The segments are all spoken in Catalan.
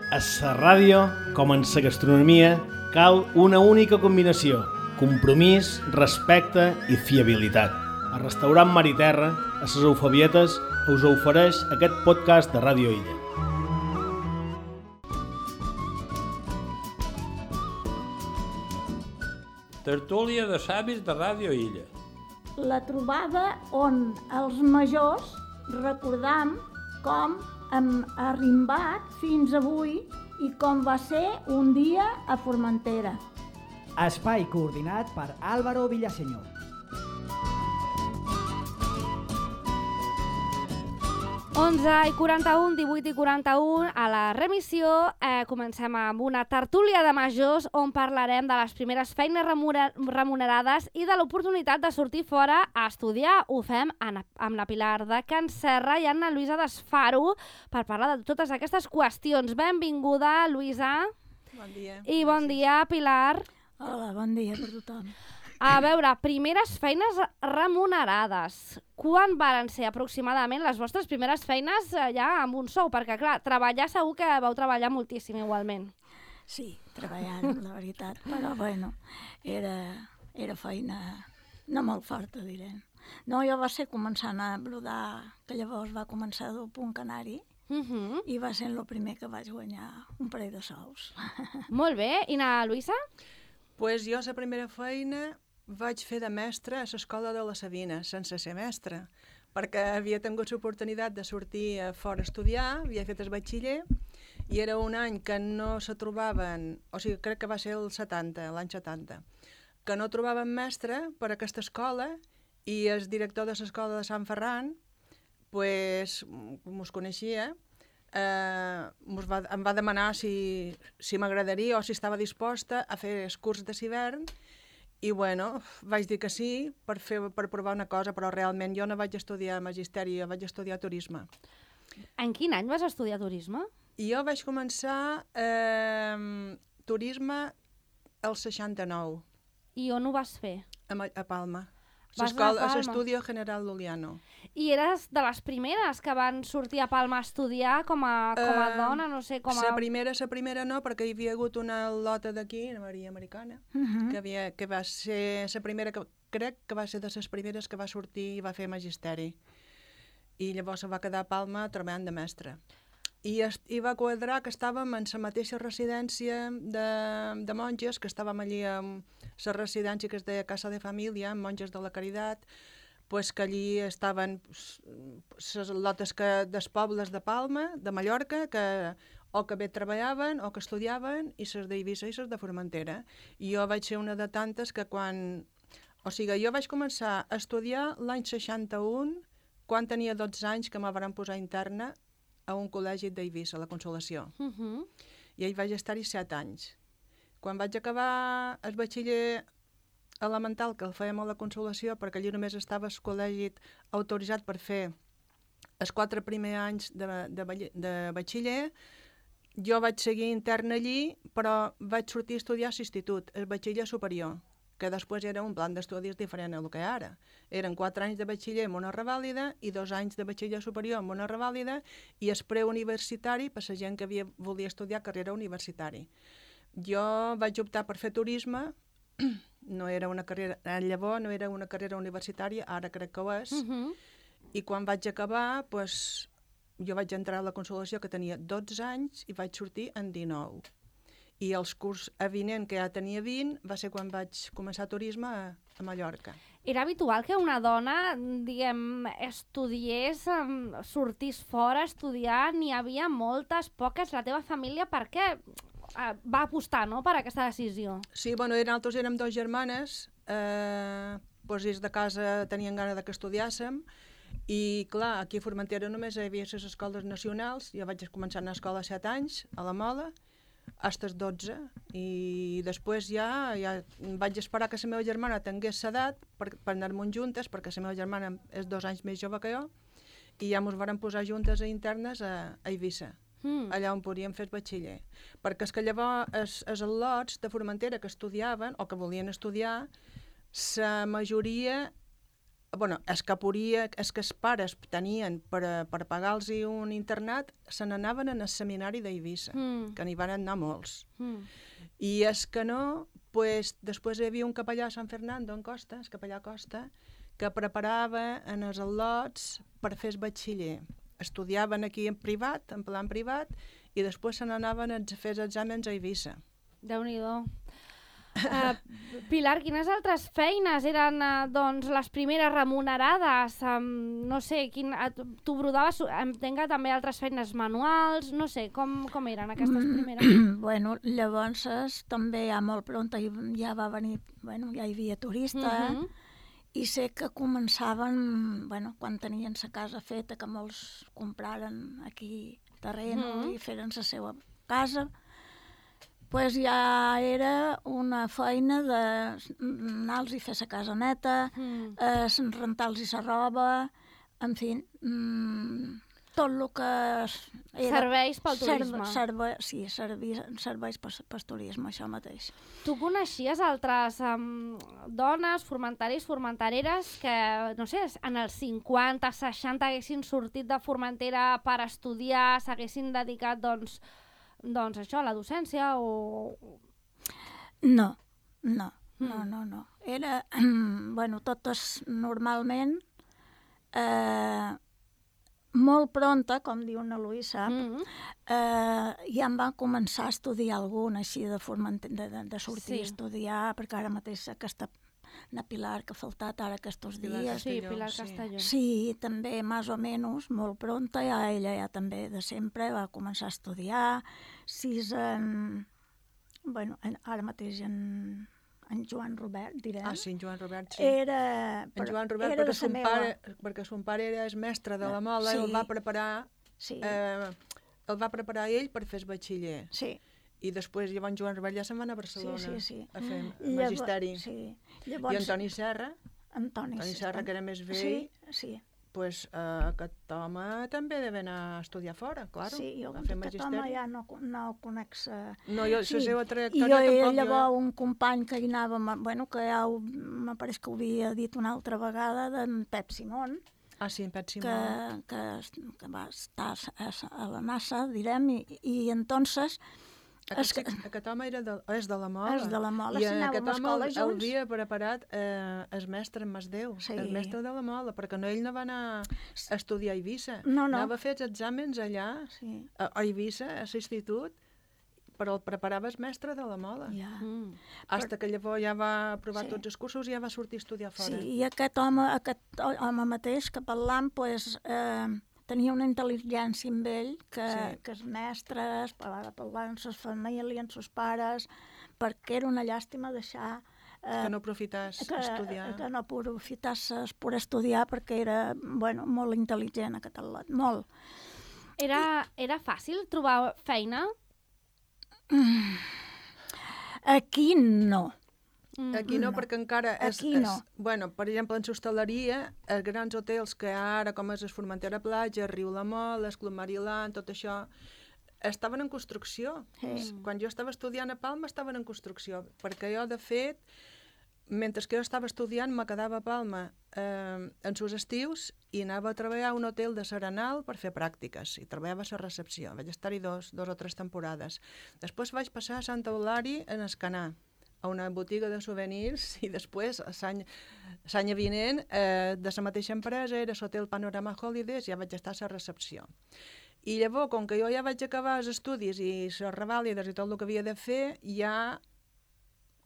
A la ràdio, com en la gastronomia, cal una única combinació: compromís, respecte i fiabilitat. El restaurant Mar i Terra, a les Eufebietes, us ofereix aquest podcast de Ràdio Illa. Tertúlia de savis de Ràdio Illa. La trobada on els majors recordam com hem arrimbat fins avui i com va ser un dia a Formentera. Espai coordinat per Álvaro Villaseñor. 11:41, 18:41, a la remissió comencem amb una tertúlia de majors on parlarem de les primeres feines remunerades i de l'oportunitat de sortir fora a estudiar. Ho fem amb la Pilar de Can Serra i Anna Luisa d'Esfaro per parlar de totes aquestes qüestions. Benvinguda, Luisa. Bon dia. I bon dia, Pilar. Hola, bon dia per tothom. A veure, primeres feines remunerades. Quan varen ser aproximadament les vostres primeres feines ja amb un sou? Perquè, clar, treballar segur que vau treballar moltíssim igualment. Sí, treballant, la veritat, però bueno, era feina no molt forta, direm. No, jo va ser començant a brodar, que llavors va començar del Punt Canari, i va ser el primer que vaig guanyar un parell de sous. Molt bé. I na Luisa? Pues jo la primera feina vaig fer de mestra a l'escola de la Sabina, sense ser mestra, perquè havia tingut l'oportunitat de sortir fora a estudiar, havia fet el batxiller, i era un any que no se trobaven, o sigui, crec que va ser el 70, l'any 70, que no trobaven mestre per a aquesta escola, i el director de l'escola de Sant Ferran, pues, com us coneixia, em va demanar si m'agradaria o si estava disposta a fer el curs de l'hivern, i bueno, vaig dir que sí per provar una cosa, però realment jo no vaig estudiar magisteri, jo vaig estudiar turisme. En quin any vas estudiar turisme? Jo vaig començar turisme el 69. I on ho vas fer? A Palma. Vas anar a Palma? A l'Estudio General Luliano. I eres de les primeres que van sortir a Palma a estudiar com a dona, no sé, com a... La primera no, perquè hi havia hagut una lota d'aquí, una Maria Americana, que va ser la primera, crec que va ser de les primeres que va sortir i va fer magisteri. I llavors se va quedar a Palma treballant de mestra. I va quadrar que estàvem en la mateixa residència de monges, que estàvem allí en la residència que es deia Casa de Família, amb monges de la Caritat, pues que allí estaven les lotes dels pobles de Palma, de Mallorca, que o que bé treballaven o que estudiaven, i les d'Eivissa i les de Formentera. I jo vaig ser una de tantes que quan... O sigui, jo vaig començar a estudiar l'any 61, quan tenia 12 anys, que me van posar interna a un col·legi d'Eivissa, a la Consolació. I ahí vaig estar-hi 7 anys. Quan vaig acabar el batxiller elemental, que el fèiem a la Consolació, perquè allí només estava el col·legi autoritzat per fer els 4 primers anys de batxiller, jo vaig seguir interna allí, però vaig sortir a estudiar a l'institut, el batxiller superior, que després era un plan d'estudis diferent del que ara. Eren 4 anys de batxiller amb una revàlida i 2 anys de batxiller superior amb una revàlida i el preuniversitari per la gent que volia estudiar carrera universitari. Jo vaig optar per fer turisme, no era una carrera, llavors no era una carrera universitària, ara crec que ho és, i quan vaig acabar, pues, jo vaig entrar a la Consolació que tenia 12 anys i vaig sortir en 19. I els curs avinent, que ja tenia 20, va ser quan vaig començar turisme a Mallorca. Era habitual que una dona, diguem, estudiés, sortís fora a estudiar, n'hi havia moltes, poques. La teva família, per què va apostar, no?, per aquesta decisió? Sí, bueno, nosaltres érem 2 germanes, doncs ells de casa tenien gana que estudiàssim, i clar, aquí a Formentera només hi havia les escoles nacionals. Jo vaig començar a anar a escola a 7 anys, a la Mola, fins als 12, i després ja vaig esperar que la meva germana tingués l'edat per anar-me'n juntes, perquè la meva germana és 2 anys més jove que jo, i ja ens varen posar juntes a internes a Eivissa, allà on podíem fer el batxiller. Perquè és que llavors els al·lots de Formentera que estudiaven o que volien estudiar, la majoria els que podia, els que els pares tenien per pagar-los un internat, se n'anaven al seminari d'Eivissa, que n'hi van anar molts. I els que no, pues, després hi havia un capellà a Sant Fernando, en Costa, el capellà Costa, que preparava en els al·lots per fer el batxiller. Estudiaven aquí en privat, en plan privat, i després se n'anaven a fer els exàmens a Eivissa. Déu-n'hi-do. Pilar, quines altres feines eren doncs, les primeres remunerades? No sé, tu brodaves, entenc que també altres feines manuals, no sé, com eren aquestes primeres? Bueno, llavors també ja molt pront ja va venir, bueno, ja hi havia turista, i sé que començaven, bueno, quan tenien sa casa feta, que molts compraren aquí terreno i feren la seva casa, pues ja era una feina d'anar-los i fer la casa neta, rentar-los la roba, en fi, tot el que era... Serveis pel turisme. Sí, serveis pel turisme, això mateix. Tu coneixies altres dones, formentaris, formentareres que, no sé, en els 50, 60 haguessin sortit de Formentera per estudiar, s'haguessin dedicat, doncs això, a la docència o... No. Era, bueno, totes normalment, molt pronta, com diu na Luisa, ja em van començar a estudiar alguna, així de sortir a estudiar, perquè ara mateix aquesta na Pilar, que ha faltat ara aquests dies. Sí, Pilar Castelló. Sí, també, més o menys, molt pronta, ella ja també de sempre va començar a estudiar. Bueno, ara mateix en Joan Robert, direm. Ah, sí, en Joan Robert, sí. En Joan Robert, perquè son pare era el mestre de la Mola, i el va preparar ell per fer el batxiller. Sí. I després, llavors, Joan Robert ja se'n va anar a Barcelona a fer magisteri. Sí. I Antoni Serra, que era més vell, pues, aquest home també deve anar a estudiar fora, clar. Sí, jo aquest home ja no el conec. No, jo, la seva trajectòria tampoc... I llavors un company que hi anava, bueno, que ja me pareix que ho havia dit una altra vegada, d'en Pep Simón. Ah, sí, en Pep Simón. Que va estar a la NASA, direm, i entonces... Aquest home és de la Mola. És de la Mola, i aquest home el havia preparat el mestre en Masdeu, el mestre de la Mola, perquè ell no va anar a estudiar a Eivissa. Anava a fer els exàmens allà, a Eivissa, a l'institut, però el preparava el mestre de la Mola. Hasta que llavors ja va aprovar tots els cursos i ja va sortir a estudiar fora. Sí, i aquest home mateix que parlam, doncs... tenia una intel·ligència amb ell que els mestres, parlaven amb les famílies, amb els pares, perquè era una llàstima deixar... que no aprofités estudiar. Que no aprofitasses per estudiar, perquè era, bueno, molt intel·ligent aquest al·lot, molt. Era fàcil trobar feina? Aquí no. Aquí no, perquè encara... Bueno, per exemple, en l'hostaleria, els grans hotels que ara, com és Formentera Platja, Riu la Mola, Club Mariland, tot això, estaven en construcció. Quan jo estava estudiant a Palma, estaven en construcció, perquè jo, de fet, mentre que jo estava estudiant, me quedava a Palma en els estius i anava a treballar a un hotel de Serenal per fer pràctiques, i treballava a la recepció. Vaig estar-hi dos o tres temporades. Després vaig passar a Santa Eulària en Escanar, a una botiga de souvenirs, i després, l'any vinent, de la mateixa empresa, era l'hotel Panorama Holidays, ja vaig estar a la recepció. I llavors, com que jo ja vaig acabar els estudis i les revàlides i tot el que havia de fer, ja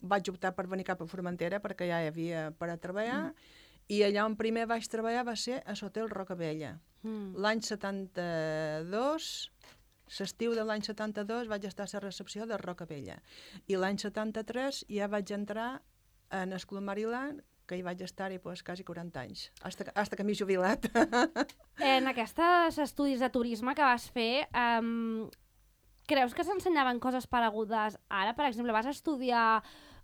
vaig optar per venir cap a Formentera, perquè ja hi havia per a treballar, i allà on primer vaig treballar va ser a l'hotel Rocabella. L'any 72... L'estiu de l'any 72 vaig estar a la recepció de Rocabella. I l'any 73 ja vaig entrar en el Club Mariland, que hi vaig estar-hi quasi 40 anys, fins que m'he jubilat. En aquests estudis de turisme que vas fer, creus que s'ensenyaven coses paregudes ara? Per exemple, vas estudiar...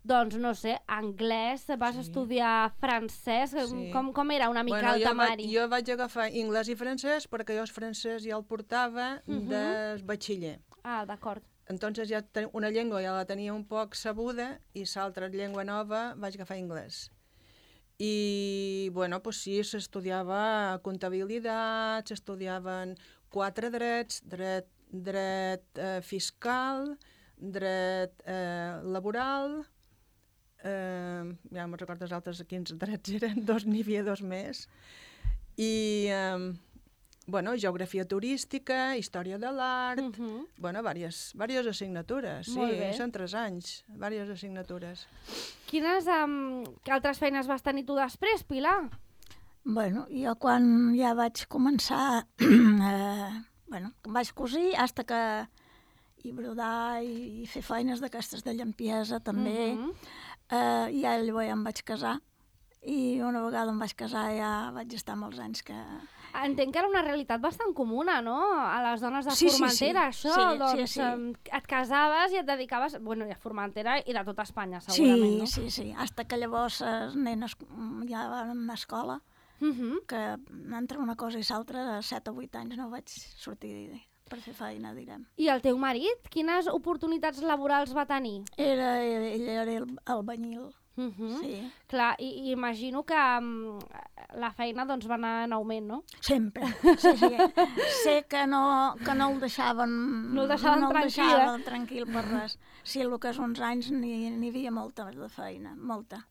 Doncs, no sé, anglès, vas estudiar francès, com era una mica el temari? Jo vaig agafar anglès i francès perquè jo el francès ja el portava del batxiller. Ah, d'acord. Entonces ja una llengua ja la tenia un poc sabuda i l'altra llengua nova vaig agafar anglès. I, bueno, pues sí, s'estudiava comptabilitat, s'estudiaven 4 drets, dret fiscal, dret laboral, ja no me'n recordo els altres quins drets eren, 2 n'hi havia 2 més, i, bueno, geografia turística, història de l'art, bueno, diverses assignatures, Molt sí, bé. són 3 anys, diverses assignatures. Quines altres feines vas tenir tu després, Pilar? Bueno, jo quan ja vaig començar, bueno, vaig cosir, fins que i brodar i fer feines d'aquestes de llampiesa també, ja llavors ja em vaig casar, i una vegada em vaig casar ja vaig estar molts anys que... Entenc que era una realitat bastant comuna, no? A les dones de Sí, sí, Formentera, sí. això. Sí, doncs sí. et casaves i et dedicaves... Bueno, i a Formentera i de tota Espanya, segurament, no? Sí, hasta que llavors les nenes ja van a escola, que entre una cosa i l'altra, a 7 o 8 anys no vaig sortir per fer feina, direm. I el teu marit, quines oportunitats laborals va tenir? Ell era albañil. Sí. Clar, i imagino que la feina doncs, va anar en augment, no? Sempre, sí. Sé que no el deixaven... No el deixaven tranquil per res. Sí, el que és uns anys n'hi havia molta de feina, molta.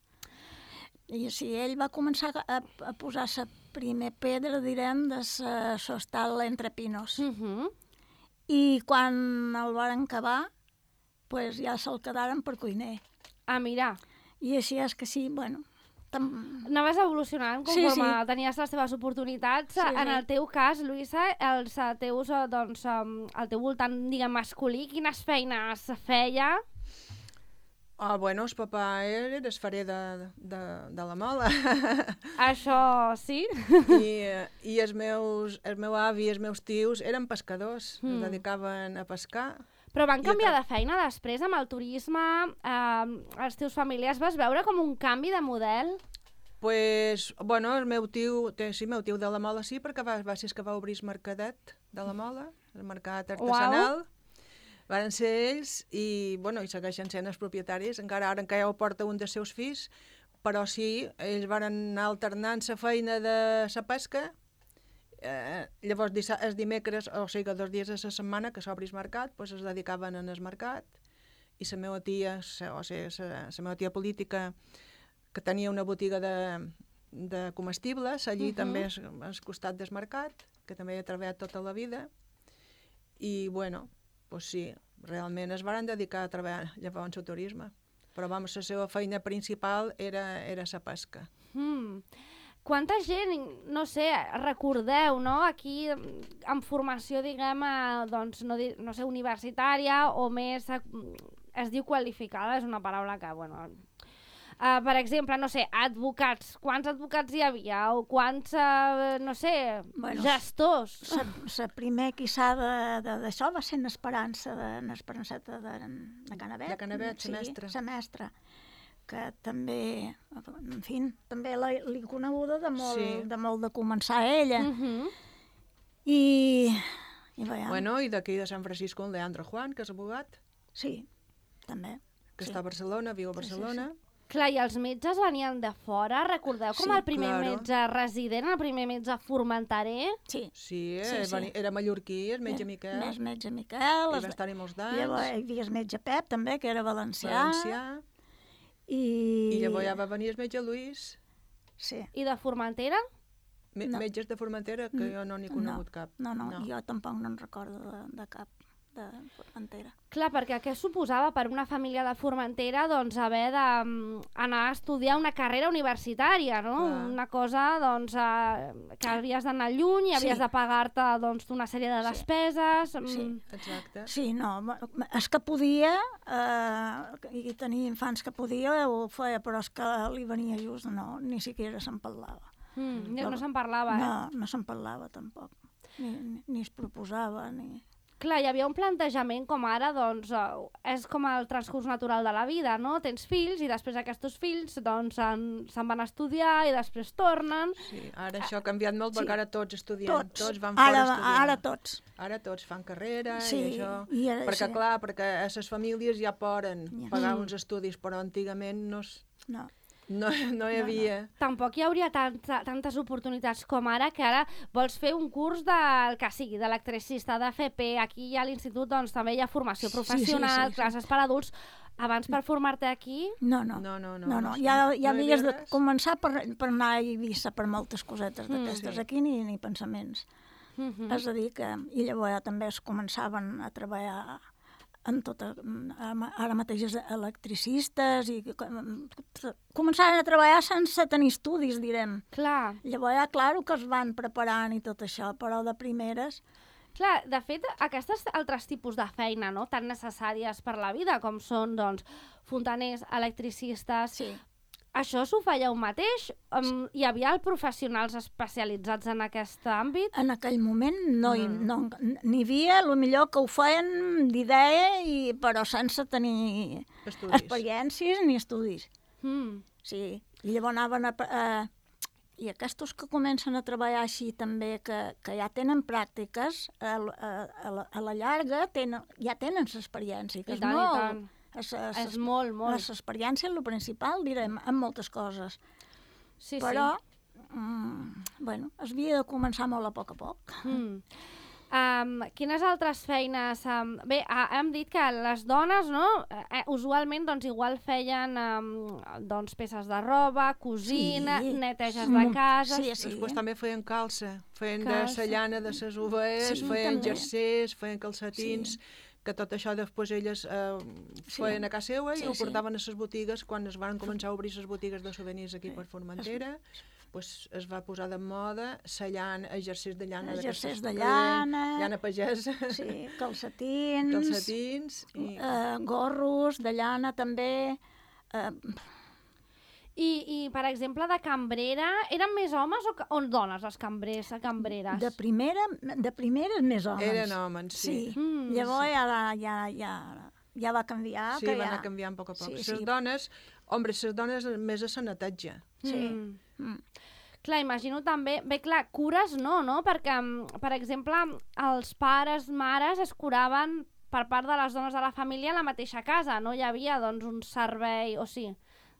I sí, ell va començar a posar la primer pedra, direm, de l'hostal Entre Pinos. I quan el van acabar, pues ja se'l quedaren per cuiner. Ah, mira. I així és que sí, bueno... Anaves evolucionant conforme tenies les teves oportunitats. Sí. En el teu cas, Lluïsa, els teus, doncs, al teu voltant, diguem, masculí, quines feines feia? Bueno, el papà era esferer de la Mola. Això sí? I el meu avi i els meus tios eren pescadors, es dedicaven a pescar. Però van canviar de feina després amb el turisme, els teus familiars, vas veure com un canvi de model? Pues, bueno, el meu tio de la Mola sí, perquè va ser que va obrir el mercadet de la Mola, el mercat artesanal. Varen ser ells i, bueno, i segueixen sent els propietaris, encara ara ho porta un dels seus fills, però sí, ells van anar alternant la feina de la pesca. Llavors els dimecres, o sigui 2 dies a la setmana que s'obri el mercat, doncs es dedicaven al mercat, i la meva tia, la meva tia política, que tenia una botiga de comestibles allí també al costat del mercat, que també hi ha treballat tota la vida, i bueno, doncs sí, realment es van dedicar a treballar llavors al turisme, però vamos, la seva feina principal era la pesca. Quanta gent, no sé, recordeu, no?, aquí amb formació, diguem, doncs, no sé, universitària o més, es diu qualificada, és una paraula que, bueno... per exemple, no sé, advocats. Quants advocats hi havia? O quants, no sé, gestors? La primer quissà d'això va ser l'Esperança, l'Esperanceta de Canavet. De Canavet, la mestra. La mestra, que també, en fi, també l'he coneguda de molt de començar ella. I veiem. Bueno, i d'aquí de Sant Francisco, el Leandro Juan, que és abogat. Sí, també. Que està a Barcelona, viu a Barcelona. Clar, i els metges venien de fora, recordeu com el primer metge resident, el primer metge formenterer? Sí, era mallorquí, el metge Miquel. El metge Miquel. I va estar-hi molts d'anys. Llavors hi havia el metge Pep, també, que era valencià. I llavors ja va venir el metge Lluís. Sí. I de Formentera? Metges de Formentera, que jo no n'he conegut cap. No, jo tampoc no en recordo de cap de Formentera. Clar, perquè què suposava per una família de Formentera doncs haver d'anar a estudiar una carrera universitària, no? Una cosa doncs que havies d'anar lluny i havies de pagar-te doncs una sèrie de despeses. Sí, exacte. Sí, no, és que podia, i tenia infants que podia, ho feia, però és que li venia just, no, ni siquiera se'n parlava. No se'n parlava, No se'n parlava tampoc, ni es proposava, ni... Clar, hi havia un plantejament com ara, doncs, és com el transcurs natural de la vida, no? Tens fills i després aquests fills doncs se'n van a estudiar i després tornen. Sí, ara això ha canviat molt perquè ara tots estudien, tots van fora a estudiar. Ara tots fan carrera i això, perquè clar, perquè a les famílies ja poden pagar uns estudis, però antigament no... No hi havia. Tampoc hi hauria tantes oportunitats com ara, que ara vols fer un curs del que sigui, d'electricista, d'FP, aquí a l'institut doncs, també hi ha formació professional, classes per adults. Abans per formar-te aquí? No. Ja havies de començar per anar a Eivissa per moltes cosetes d'aquestes. Aquí ni pensaments. És a dir que... I llavors també es començaven a treballar en ara mateix electricistes i començaven a treballar sense tenir estudis, direm. Clar. Llavors, clar, que es van preparant i tot això, però de primeres... Clar, de fet, aquestes altres tipus de feina, no?, tan necessàries per la vida, com són, doncs, fontaners, electricistes... Sí. Això s'ho feia un mateix? Hi havia professionals especialitzats en aquest àmbit? En aquell moment n'hi havia, millor que ho feien d'idea, però sense tenir experiències ni estudis. Sí, i llavors anaven I aquests que comencen a treballar així també, que ja tenen pràctiques, a la llarga ja tenen l'experiència. I tant. És molt. L'experiència és el principal, direm, en moltes coses. Sí, però, bueno, es havia de començar molt a poc. Quines altres feines? Bé, hem dit que les dones, no?, usualment, doncs, igual feien peces de roba, cosina, neteges de casa... Després també feien calça, feien de la llana de les ovelles, feien jersers, feien calcetins... que tot això després elles feien a casa seva i ho portaven a les botigues. Quan es van començar a obrir les botigues de souvenirs aquí per Formentera, es va posar de moda la llana, exercís de llana, llana pagesa, calcetins, gorros de llana també. I, per exemple, de cambrera, eren més homes o dones els cambrers, cambreres? De primeres més homes. Eren homes, sí. Llavors ja va canviar. Sí, va anar canviant a poc a poc. Les dones més a la netatge. Sí. Clar, imagino també... Bé, clar, cures no? Perquè, per exemple, els pares, mares es curaven per part de les dones de la família a la mateixa casa. No hi havia, doncs, un servei, o sí,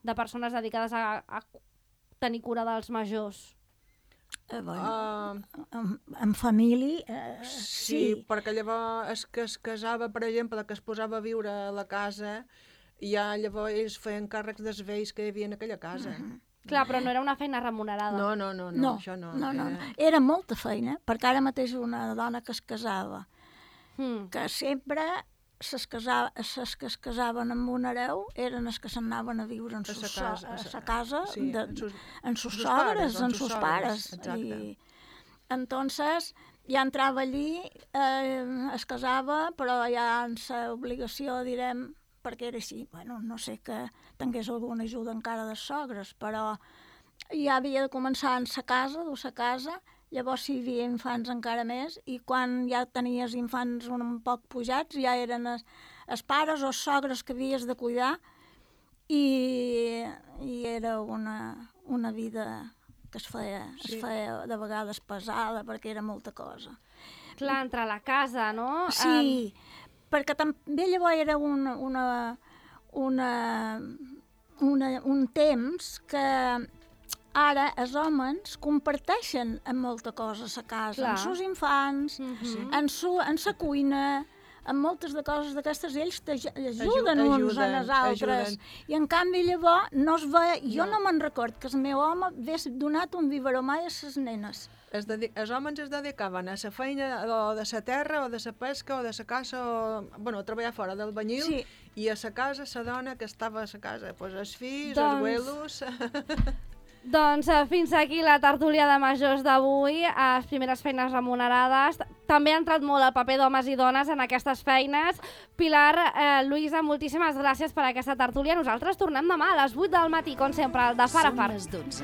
de persones dedicades a tenir cura dels majors. En família, sí. Perquè llavors el que es casava, per exemple, que es posava a viure a la casa, ja llavors ells feien càrrecs dels vells que hi havia en aquella casa. Clar, però no era una feina remunerada. No, això no. Era molta feina, perquè ara mateix una dona que es casava, que sempre... Les que es casaven amb un hereu eren les que s'anaven a viure a sa casa, en sus sogres, en sus pares. Entonces, ja entrava allí, es casava, però ja en sa obligació, direm, perquè era així, bueno, no sé que tingués alguna ajuda encara de sogres, però ja havia de començar en sa casa, llavors si hi havia infants encara més, i quan ja tenies infants un poc pujats, ja eren els pares o els sogres que havies de cuidar, i era una vida que es feia de vegades pesada, perquè era molta cosa. Clar, entre la casa, no? Sí, perquè també llavors era un temps que ara els homes comparteixen amb molta cosa a la casa, amb els seus infants, en la cuina, amb moltes de coses d'aquestes, ells t'ajuden uns a les altres. I en canvi llavors no es veia... Jo no me'n record que el meu home hagués donat un biberó mai a les nenes. Els homes es dedicaven a la feina o de la terra o de la pesca o de la caça a treballar fora del banyil, i a la casa la dona que estava a la casa, els fills, els abuelos... Doncs fins aquí la tertúlia de majors d'avui, les primeres feines remunerades. També ha entrat molt el paper d'homes i dones en aquestes feines. Pilar, Lluïsa, moltíssimes gràcies per aquesta tertúlia. Nosaltres tornem demà a les 8 del matí, com sempre, de far a far. Són les 12.